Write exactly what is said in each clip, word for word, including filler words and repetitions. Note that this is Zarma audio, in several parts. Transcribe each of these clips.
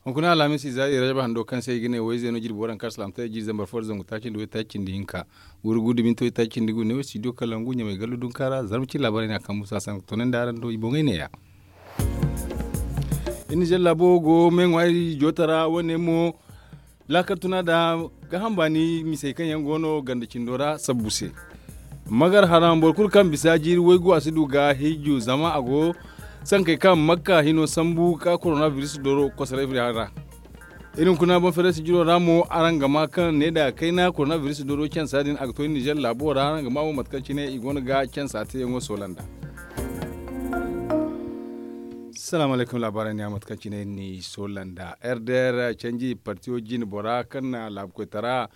Hunkuna alhamis ize hari rajab hando kaŋ se i ga ne wayze no jirbi waranka salaamtaray jiiri zambar fo da zangu taaci nda waytaaci nda hinka, wuri gu da minti waytaaci nda gu ne wo studio kalangu ɲamay gallu dunkaara zarma cine laabaarey no a kambu saasa ga toonandi araŋ do i boŋey neeya. Iri na zalla laabo go meeŋwaari joota ra wane mo. Laakal tuna da gaaham baani misey kaŋ yaŋ go no ganda cindo ra sabbu se. Magar haram boro kulu kaŋ bisa jiiri waygu a si du ga hijju zama a go sankey kaŋ makka hino sambu ka korona biris doro kosoray ra. Iri hunkuna boŋ feeray sijiro ra mo araŋ ga ma kaŋ ne da kayna korona biris doro cansa din a ga to nizer laabo ra araŋ ga ma mo mate kaŋ cine i go no ga cansa teeyaŋo soola nd'a. Salaamu alaykum laabaarey ne a mate kaŋ cine iri n'i soola nd'a. Rdr canji partiyo jine bora kaŋ na laabu koytara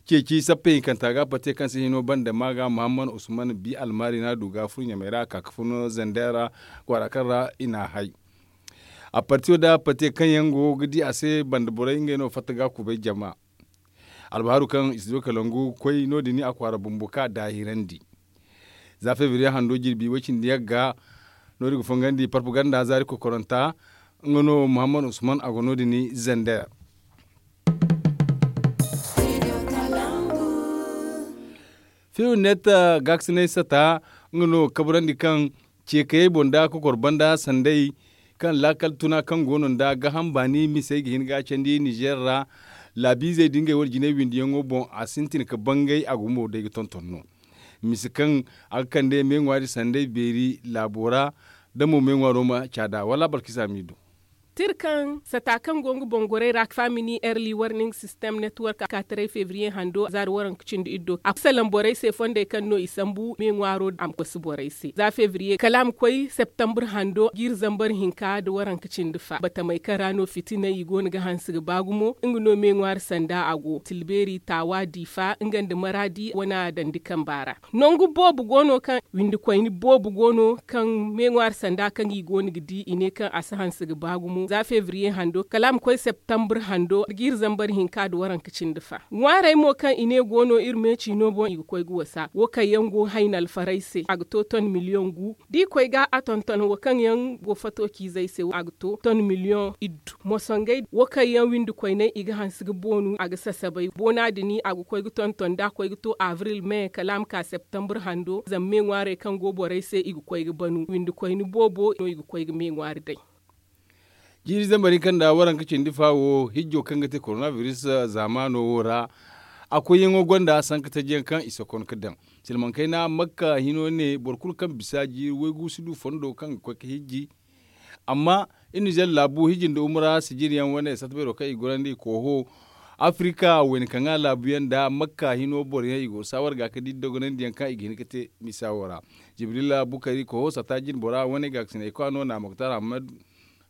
ceeci sappey hinkanta ga partiyo kaŋ si hino banda ma ga muhammad usman bi almaari no a du ga furo ɲamey ra a ka ga fun zender kwaara kaŋ ra i n'a hay. A partiyo da partiyo kaŋ yaŋ go ga di a se banda borey ngey no fatta ga kubay jama. Albaharu kaŋ studio kalangu koy no- din a kwaara bumbo ka daahirandi. Za febriye hando jirbi way- cindi yagga no- din ga fongandi parpaganda zaari kokoranta. Nga no muhammad usman a go no- din zender. Fiyo net gaakasinay sata nga no kabrandi kaŋ ceekayey boŋ da kokor banda sanday kaŋ laakal tuna kaŋ go no nda gaaham baani misey ga hin ga candi nizer ra. Laabiizey da ngey wane jinay windiyaŋo boŋ a sintin ga bangay a gumo day ga tonton no. Mise kaŋ a ga kande meeŋwaari sanday beeri laabo ra da mo meeŋwaaro ma caada wala balkisa m'i du. Tira kaŋ sata kaŋ go nga boŋ gorey ra famini early warning system network a ka taray febriye hando zaari waranka cindi iddo a ga salaŋ borey se fondey kaŋ no i sambu meeŋwaaro a ma kosi borey se za febriye kala a ma koy septembre hando jiiri zambar hinka nda waranka cindi fa batamey kaŋ ra no fitinay i go no ga hanse ga ba gumo nga no meeŋwaari sanda a go tilbeeri taawa diifa nga nda maraadi wana dandi kamba ra. Nangu boobo go no kaŋ windi koyne boobo go no kaŋ meeŋwaari sanda kaŋ i go no ga di i ne kaŋ a si hanse ga ba gumo za febriye hando kala a ma koy septembre hando jiiri zambar hinka nda waranka cindi fa ŋwaarey mo kaŋ i ne go no iri meeci no boŋ i ga koy ga wasa wo kaŋ yaŋ go hayna alfaray se a ga to ton miliyoŋ gu da i koy ga a tonton wo kaŋ yaŋ go fato ciizey se a ga to ton miliyoŋ iddu mosongey wo kaŋ yaŋ windi koyney i ga hanse ga boonu a ga sasabay boona din a ga koy ga tonton da a koy ga to avril me kala a ma ka septembre hando zama me ŋwaarey kaŋ go borey se i ga koy ga banu windi koyne boobo no i ga koy ga me ŋwaari day. Jiiri zambar hinka nda waranka cindi fa wo hijjo kaŋ ga te korona biris zaamaano wo ra a koyyaŋo gonda sanka tajiyaŋ kaŋ i sokon ga daŋ silmaŋ kayna makka hino ne boro kulu kaŋ bisa jiiri waygu si du fondo kaŋ ga koy ga hijji. Amma iri nizer laabu hijji nda umura sijiriyaŋ wane sata beero kaŋ i gorandi kooho afirika wayna kaŋ a laabuyaŋ nda makka hino boroyaŋ i go ga saawar ga ka di dogonandiyaŋ kaŋ i ga hin ga te misa wo ra. Jibrila bukari kooho sata jine bora wane gaakasinay kwaano na moktar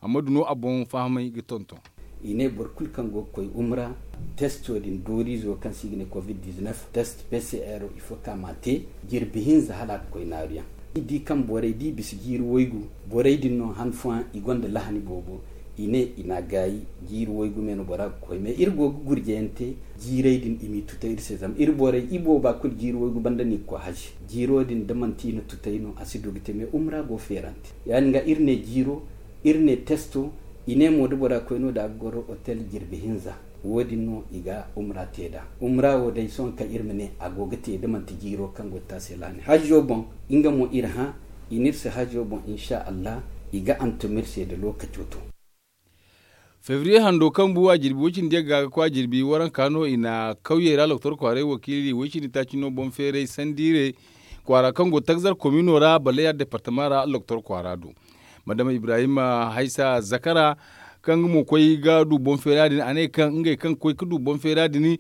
hammadu no a boŋ fahamay ga tonton. I ne boro kulu kaŋ go ga koy umra testo din dooriizo kaŋ se i ga ne covid dix-neuf test pcr ifo kaŋ a ma a te jirbi hinza hala a ga koy naaruyaŋ. I di kaŋ borey da i bisa jiiri waygu borey din no han fooyaŋ i gonda lahani boobo. I ne i n'a gaayi jiiri waygu me no bora ga koy mais iri go ga gurjeyaŋ te jiirey din i m'i tutay iri se zama iri borey ibooba kulu jiiri waygu banda no i ga koy haji. Jiiro din da manti i na tutay no a si du ga te mais umra go feerante. Ya- din ga iri ne jiiro iri ne testo. I ne mo da bora koy no da a ga goro otel jirbi hinza wo- din no i ga umra te nd'a. Umra wo day sohõ kaŋ iri ma ne a go ga te da manti jiiro kaŋ go ga te a se laani hajjo boŋ. Nga mo iri hã i n'iri se hajjo boŋ insa allah. I ga antuma iri se da lookaco to. Febriye hando kaŋ bu a jirbi way- cindi yagga ga koy a jirbi waranka no i na kawyey ra loktor kwaaray wakiili way- cindi taaci no boŋ feeray sandiire kwaara kaŋ go tagzar komino ra baleya departama ra loktor kwaara do. Madama ibrahim haysa zakara kaŋ nga mo koy ga du boŋ feera din a ne kaŋ ngey kaŋ koy ga du boŋ feera din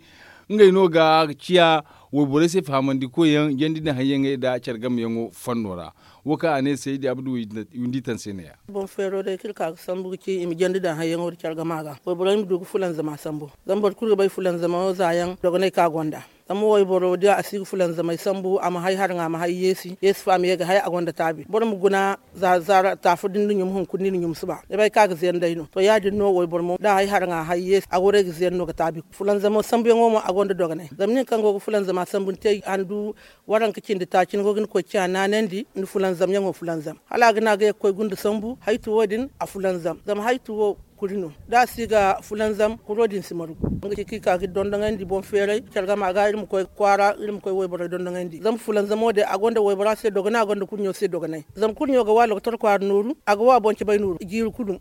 ngey no ga ciya wayborey se fahamandi koyyaŋ jandi daŋ hayyaŋey nda care game yaŋo fanno ra. Wo kaŋ a ne saydi abdu windi taŋ se ne- ya. Boŋ feero day kaŋ iri ka ga sambu ga ci i ma jandi daŋ hayyaŋo nda care game a ga wayborey ma du ga fulanzama sambu. Zama boro kulu ga bay fulanzama wo za yaŋ dogonay kaŋ a gonda. Zama wayboro da a si ga fulanzamay sambu a ma hay haraŋ a ma hay yeesi yeesi fo a ma ye ga hay a gonda taabi boro ma guna. Za zaara taafu da ni na ɲum hunkuna ni na ɲum suba ni bay kaŋ a ga zeeray no to ya- din no wayboro mo da a hay haraŋ a hay yeesi a waray ga zeeray no ga taabi. Fulanzamo sambuyaŋo mo a gonda dogonay zama nin kaŋ go ga fulanzama sambu ni te handu waranka cindi taaci ni go ga ni koy ciya naanandi ni fulanzamyaŋo fulanzam hala a ga ne a ga ye ga koy gunda sambu haytu wo- din a fulanzam zama haytu wo. Kuri no da a si ga fulanzam kuro din si maru. Nga ci kaŋ i ka ga iri dondoŋandi boŋ feeray care game a ga iri ma koy kwaara iri ma koy wayborey dondoŋandi zama fulanzamo din a gonda waybora se dogonay a gonda kurɲo se dogonay. Zama kurɲo ga wa lokotor kwaara nooru a ga wa boŋ cabay nooru jiiri kulu.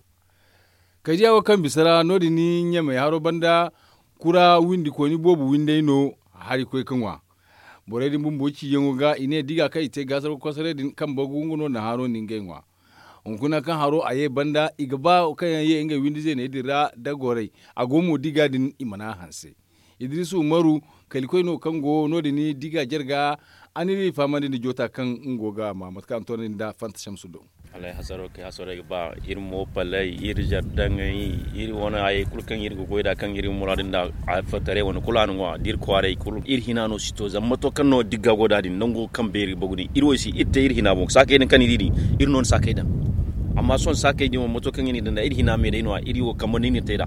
Kaydiya wo kaŋ bisa ra no- din ɲamey haro banda kura windikooni boobo windey no hari koy ga ŋwa. Borey din bumbo ciiyaŋo ga i ne diga kaŋ i te gaasargo kosoray din kaŋ bagu nga no na haro nda ngey ŋwa. Hunkuna kaŋ haro a ye banda i ga ba kaŋ yaŋ ye ngey windi zeeney din ra da gorey a go mo diga din i mana hanse. Idirisu umaru kalikoy no kaŋ go no- din diga jarga. A n'iri fahamandi nda joota kaŋ nga go ga ma mate kaŋ a na toonandi nda fanta shamsu do. Alay hasaro kay hasaro ay ga ba iri mo palay iri jardaŋey iri wane hayey kulu kaŋ iri ga goy nd'a kaŋ iri ga muraadu nd'a. Alfataray wane kulu a na ŋwa da iri kwaaray kulu iri hina no si to zama mato kaŋ no digga go nd'a din nango kaŋ beeri ga bagu din iri wo i si iri te iri hina boŋ saakey din kaŋ ni di din. Iri no na saakey daŋ. Amma sohõ saakey din wo mato kaŋ iri n'i daŋ nd'a iri hina me day no- ya iri wo kambe no iri na te nd'a.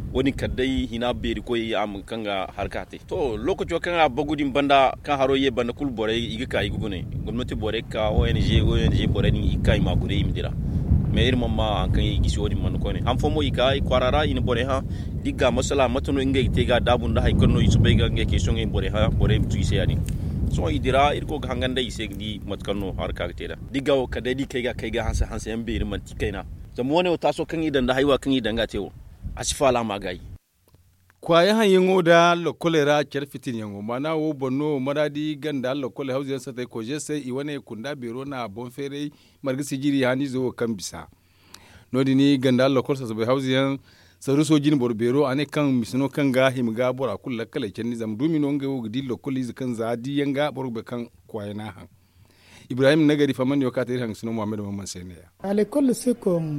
Wo- din kala day hina beeri koy a ma kaŋ ga harka te. To lookaco kaŋ a bagu din banda kaŋ haro ye banda kulu borey i ga ka i ga gune gomnati borey ga ka ong ong borey din i ga ka i ma a gune i ma dira. Mais iri mana ma hari kaŋ i gisi wo- din mana koyne han fooyaŋ mo i ka i kwaara ra i na borey hã. Da i ga masala mate no ngey ga te ga daabu nda hari kaŋ no i si bay ga ngey kay sohõ ngey borey hã borey ma tu i se ya- din. Sohõ i dira iri go ga hangan day i se ga di mate kaŋ no haraka ga te nd'a da i ga wo kala day da i kay ga kay ga hanse hanse yaŋ beeri manti kayna. Zama wo- ne wo taaso kaŋ i daŋ nda haywa kaŋ i daŋ ga te wo a si faala ma gaayi. Kwaaya haŋyaŋo nda lokkoley ra care fitinyaŋo maana wo boŋ no maraadi ganda lokkoley hawzuyaŋ satey koze se i wane kunda beero na boŋ feeray marga sijiri haniizo wo kaŋ bisa. No- din ganda lokkol sasabay hawzuyaŋ saruso jine boro beero a ne kaŋ mise no kaŋ ga hima ga bora kulu lakkaley candi zama duumi no ngey wo ga di lokkol ize kaŋ za di yaŋ ga boro ga bay kaŋ kwaaya n'a haŋ. Ibrahim nagari fahamandiyo kaŋ a te iri hangasino muhammad mamman se ne ya.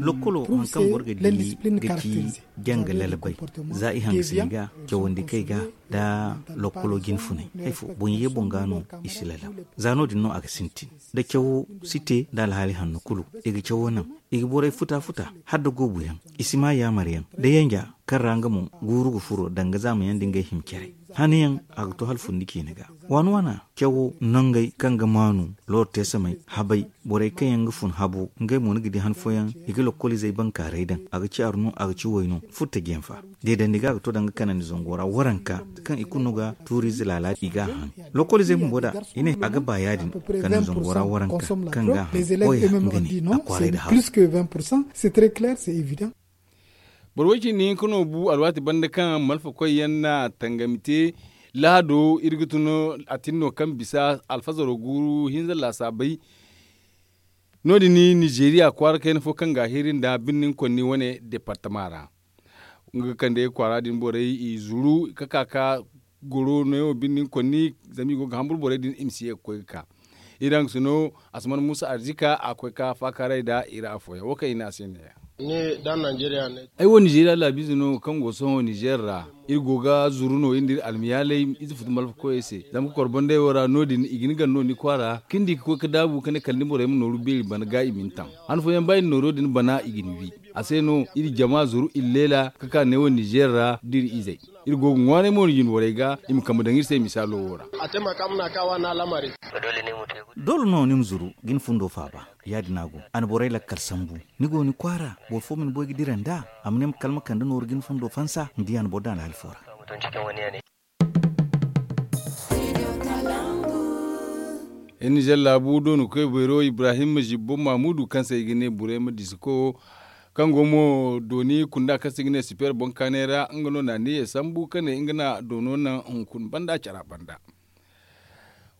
Lokkolo hari kaŋ boro ga di ga ci janga lalabay za i hangasini ga cawandi kay ga nda lokkolo jine funay hari fo boŋ ye boŋ ga no i si lalab. Za no- din no a ga sintin da cawo si te nda alhaali hanno kulu i ga cawo naŋ i ga borey futa futa hala da goobu yaŋ i si ma yaamar yaŋ da yanja kaŋ ra nga mo guuru ga furo danga zaama yaŋ da ngey hima care. Hane yaŋ a ga to hala fundi ciine ga waana waana cawo nangey kaŋ ga maanu looro te samay habay borey kaŋ yaŋ ga fun habo ngey mo ni ga di han fooyaŋ i ga lokkolizey bankaaray daŋ a ga caaru no a ga ci way no futta jenfa deedandi ga a ga to danga kanandi zango ra waranka kaŋ i kulu no ga tuuriize laalaati i ga a han. Lokkolizey bumbo da i ne a ga ba ya- din kanandi zango ra waranka kaŋ ga a han koya nga ne a kwaaray da haabu. Boro way cindi hinka no bu alwaati banda kaŋ malfa koy yaŋ na tangami te lahado iri ga tun a tin no kaŋ bisa alfazaro guuru hinza laasaabay. No- din nizeeriya kwaara kayna fo kaŋ ga a hiiri nda birnin konni wane departama ra nga ga kande kwaara din borey i zuru ka ka ka goro neewo birnin konni zama i go ga hamburu borey din i ma si ye ga koy ga ka. Iri hangasino asman musa arzika a koy ka faakaaray nda iri afooyaŋ wo kaŋ i ne a se neeya. Ay wo nizeeriya laabiize no kaŋ go sohõ nizeer ra. Iri go ga zuru no iri nda iri almiyaaley ize futu malfa koyey se zama ka kor banday wo ra no- din i ga ni gar no ni kwaara ka ni di ka koy ga daabu ka ne kala ni borey ma nooru beeri bana ga i ma ni taŋ. Han fooyaŋ ba i na nooro din bana i ga ni wi. A se no iri jama zuru iri leela ka ka neewo nizeer ra da iri izey. Iri go ga ŋwaanay mo no jinborey ga i ma kambe daŋ iri se misaalo wo ra. Doole no ni ma zuru ga ni fundo faaba. Ya- din a go a na borey lakkal sambu. Ni go ni kwaara boro fo ma ni boy ga dira nd'a a ma ne ma kala ma kande nooru ga ni fundo fansa ni di a na boro daŋ alhaali fo ra. Iri nizer laabu dooni koy beero ibrahim zibbo mamudu kaŋ se i ga ne burema disiko kaŋ go mo dooni kunda kaŋ se i ga ne super boŋ kaanay ra nga no na niye sambu ka ne nga na doono naŋ hunkuna banda cara banda.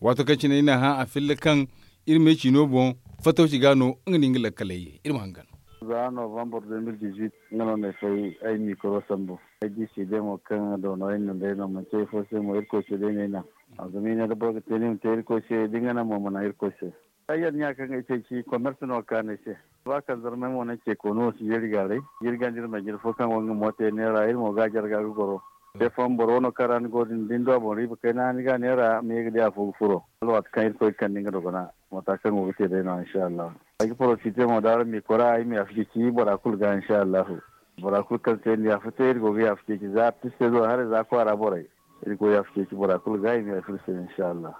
Waato kaŋ cine i na hã a filla kaŋ iri me ciino boŋ fatawci ga no nga na nga lakkaley ye iri ma hangan. Za novembre deux mille dix-huit nga no ne fay ay mikoro sambu. Ay di se day mo kaŋ doono ay na day no manti ay fo se mo irkoy se day no ay naŋ. Zama i ne da boro ga te ni ma te irkoy se da nga naŋ mo ma naŋ irkoy se. Ay yar ɲa kaŋ ay te ci commerce no ga kaanu ay se. Ba kaŋ zarmay mo naŋ ce koonu wo si yeeri gaaray. Jirgandi iri ma jire fo kaŋ go nga mo te neera iri mo ga a jarga ga goro. Te fooyaŋ boro wano kaŋ ra ni go din da ni du a boŋ riiba kayna ni ga a neera ma ye ga di afo ga furo. Hala waati kaŋ irkoy ga kande nga dogona mata kaŋ go ga te day no insha allahu. Ay ga porofite mo da araŋ ma i kora ay ma yaafa ceeci bora kulu ga insha allahu. Bora kulu kaŋ se ni yaafa te iri go ga yaafa ceeci za artistey do haray za kwaara borey. Iri go yaafa ceeci bora kulu ga i ma yaafa iri se insha allahu.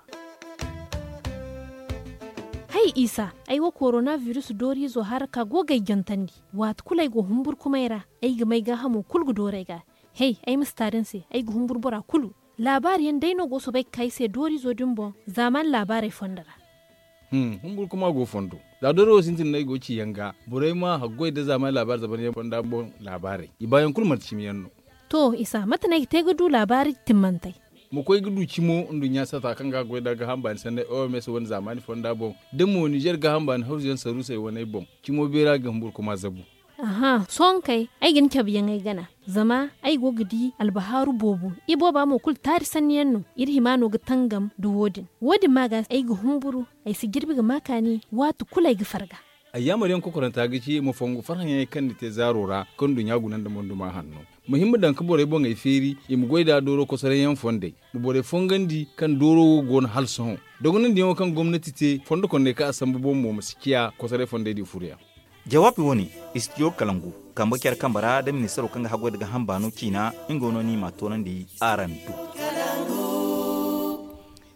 Hay isa, ay wo korona virus dooriizo hara ka go ga ay jantandi. Waati kulu ay go humburkumay ra, ay ga may gaahamo kulu ga dooru ay ga. Hey, ay ma si taari ni se, ay ga humburu bora kulu. Laabaari yaŋ day no go soobay ga ka ay se dooriizo din boŋ zaamaani laabaarey fondo ra. Humburkuma go fondo, za doori wo sintin no ay go ga ci yaŋ ga. Borey ma haggoy nda zaamaani laabaari zaban yaŋ fonda boŋ laabaarey i baayaŋ kulu manti cimi yaŋ no. To isa mate no ay ga te ga du laabaari timmantey? Ma koy ga du cimo nduɲɲa sata kaŋ ga a goy nda gaaham baani sanney oms wane zaamaani fonda boŋ, da mo nizer gaaham baani hawzu yaŋ saruusey waney boŋ, cimo beera ga humburkuma zabu. Aha sohõ kay, ay ga ni cabe yaŋ ay gana. Zama ay go ga di albahaaru boobo. Ibooba mo kulu taari sanni yaŋ no. Iri hima no ga tangam nda wo- din. Wo- din ma ga ay ga humburu, ay si jirbi ga ma kaani waati kulu ay ga farga. Ay yaamar yaŋ kokoranta ga ci ma fongu farhã yaŋey kaŋ ni te zaaro ra, kaŋ nduɲɲa guna nda monduma hanno. Ma hima daŋ ga borey boŋey feeri i ma goy nd'a dooro kosoray yaŋ fondey. Ma borey fongandi kaŋ dooro wo go no hala sohõ. Dogonandiyaŋo kaŋ gomnati te fondo kondey kaŋ a sambu boŋ mo ma si ciya kosoray fondey di furo yaŋ. Jawaabi wo- ne, istidiyo kalangu, kambe care kambe ra nda ministaro kaŋ ga haggoy nda gaaham baano ciina. Nga no no i m'a toonandi araŋ do.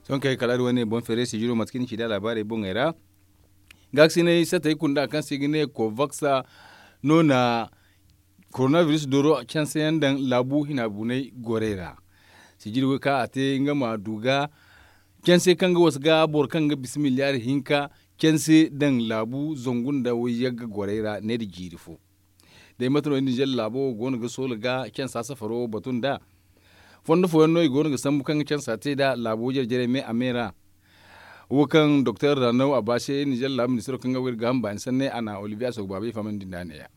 Sohõ kay kala iri wane boŋ feeray sijiro mate kaŋ i na ci nd'a laabaarey boŋey ra. Gaakasinay satey kunda kaŋ se i ga ne kovaks no na koronabiris dooro canse yaŋ daŋ laabu hina bunay gorey ra. Sijiri wo kaŋ a te nga ma du ga canse kaŋ ga wasa ga boro kaŋ ga bisa miliyaari hinka canse daŋ laabu zangu nda wayyagga gorey ra ne nda jiiri fo. Day mate no ninzeer laabo go no ga soola ga cansa safaro batu nd'a. Fondo fooyaŋ no i go no ga sambu kaŋ ga cansa te nd'a laabo jare jarey me a me ra. Wo kaŋ doktor ranaw a ba se ninzeer laabu ministiro kaŋ ga wayra ga hamba ni sanney a na olivier a soogu baabey fahamandi nd'a ne- ya.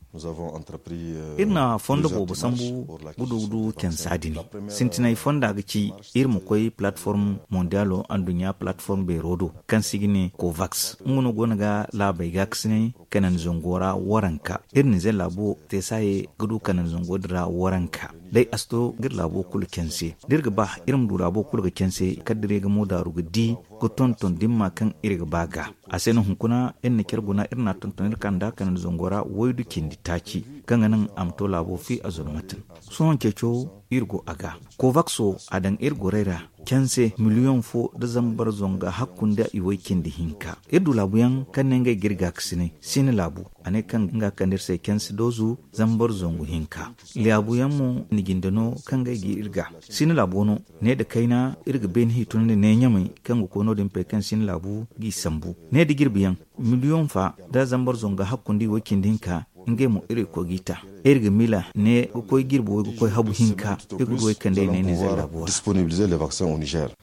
Iri na fondo boobo sambu ga du ga du cansa din. Sintinay fonda ga ci iri ma koy palatform mondialo anduɲɲa palatform beero do kaŋ se i ga ne kovaks nga no go no ga laabey gaakasinay kanandi zango ra waranka. Iri ninzeer laabo te saaye ga du kanandi zango din ra waranka. Day a si to ga iri laabo kulu canse da iri ga ba iri ma du laabo kulu ga canse kala da iri ga mo daaru ga di ga tonton dimma kaŋ iri ga ba ga. A se no hunkuna iri na care guna iri n'a tonton iri kanda kanandi zango ra waydu cindi taaci kaŋ ga naŋ a ma to laabo fi a zulmatin. Sohõ ceeco iri go a ga. Kovakso a daŋ iri gorey ra canse miliyoŋ fo nda zambar zonga hakku nda iway cindi hinka. Iri du laabuyaŋ kaŋ ne ngey ga iri gaakasinay sina laabu. A ne kaŋ nga kande iri se canse doozu zambar zongu hinka. Laabuyaŋ mo ni jinde no kaŋ ngey ga iri ga sina laabo no. Ne nda kayna iri ga beene hiitunandi ne ɲamay kaŋ ga koy no- din pey kaŋ sina laabu g'i sambu. Ne nda jirbiyaŋ miliyoŋ fa nda zambar zonga hakku nda iway cindi hinka. Ngey mo iri ga koy g'i ta iri ga miila ne ga koy jirbi way ga koy habu hinka. Iri ga du way kandey ne ninzeer laabo ra.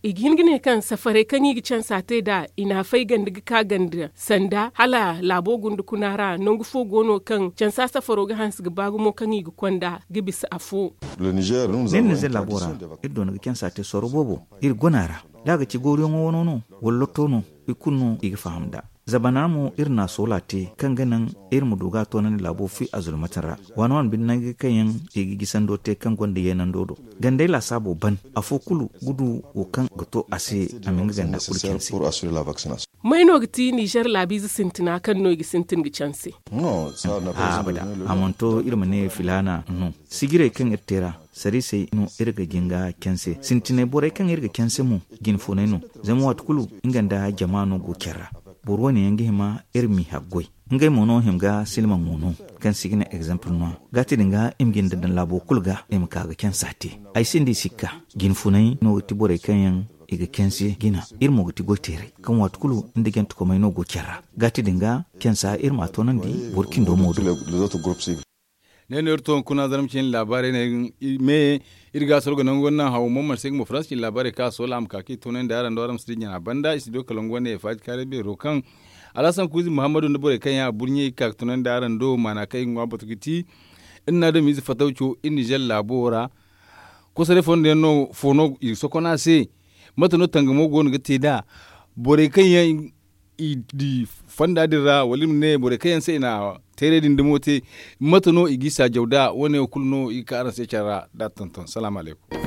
I ga hin ga ne kaŋ safarey kaŋ i ga cansa te nd'a i n'a fay ganda ga ka ganda sanda hala laabo gunda kuna ra nangu fo go no kaŋ cansa safaro ga hanse ga ba gumo kaŋ i ga konda ga bisa afo. Ne ninzeer laabo ra iri doona ga cansa te sorro boobo. Iri gona ra da a ga ci gooruyaŋo wano no wala lotto no i kulu no i ga faham nd'a. Zabana mo iri na a soola te kaŋ ga naŋ iri ma du ga a toonandi laabo fi a zulmatin ra. Waani waani bine nangu kaŋ yaŋ i ga gisando te kaŋ gonda yeenando do gandey laasaabo ban afo kulu ga du wo kaŋ ga to a se. A ma nga ganda kulu care se. May no ga ti nizer laabiize sintina kaŋ no i ga sintin ga canse? Abada. A mana to iri ma ne filaana no. Sijirey kaŋ iri te ra sariisey no iri ga jin ga canse sintinay borey kaŋ iri ga canse mo. Jinfunay no zama waati kulu nga nda jama no go care ra. Boro wane yaŋ ga hima iri m'i haggoy. Ngey mo no hima ga silmaŋo no kaŋ se i ga ne egzample no a ga ti din ga i ma jinde daŋ laabo kulu ga i ma ka ga cansa te. Ay sinda i sikka jinfunay no ga ti borey kaŋ yaŋ i ga canse jina. Iri mo ga ti goyteerey kaŋ waati kulu nda jantekomey no go care ra. Ga ti din ga cansa iri m'a toonandi boro cindo mo do. Ne no iri to hunkuna zarma cine laabaarey ne me iri ga a sorgo nangu wane naŋ hawo mo mana se ga mo faransa cine laabaarey kaŋ a soola a ma ka kaŋ i toonandi araŋ do araŋ ma si di ɲana banda i si do kala nangu wane faaji kaaray beero kaŋ alhasan kuuzi muhammadu nda borey kaŋ yaŋ a burɲey ga ka ga toonandi araŋ do maana kaŋ i ga ŋwa batu ga ti. Iri na adamiize fatawco iri nizer laabo ra kosoray fondo yaŋ no fo no i ga sokon a se? Mate no tangamo go no ga te nd'a borey kaŋ yaŋ i di fonda din ra wala i ma ne borey kaŋ yaŋ se i na teeray din dumo te? Mate no i g'i saajaw nd'a wane wo kulu no i ga ka araŋ se care ra da tonton salaamu alaykum.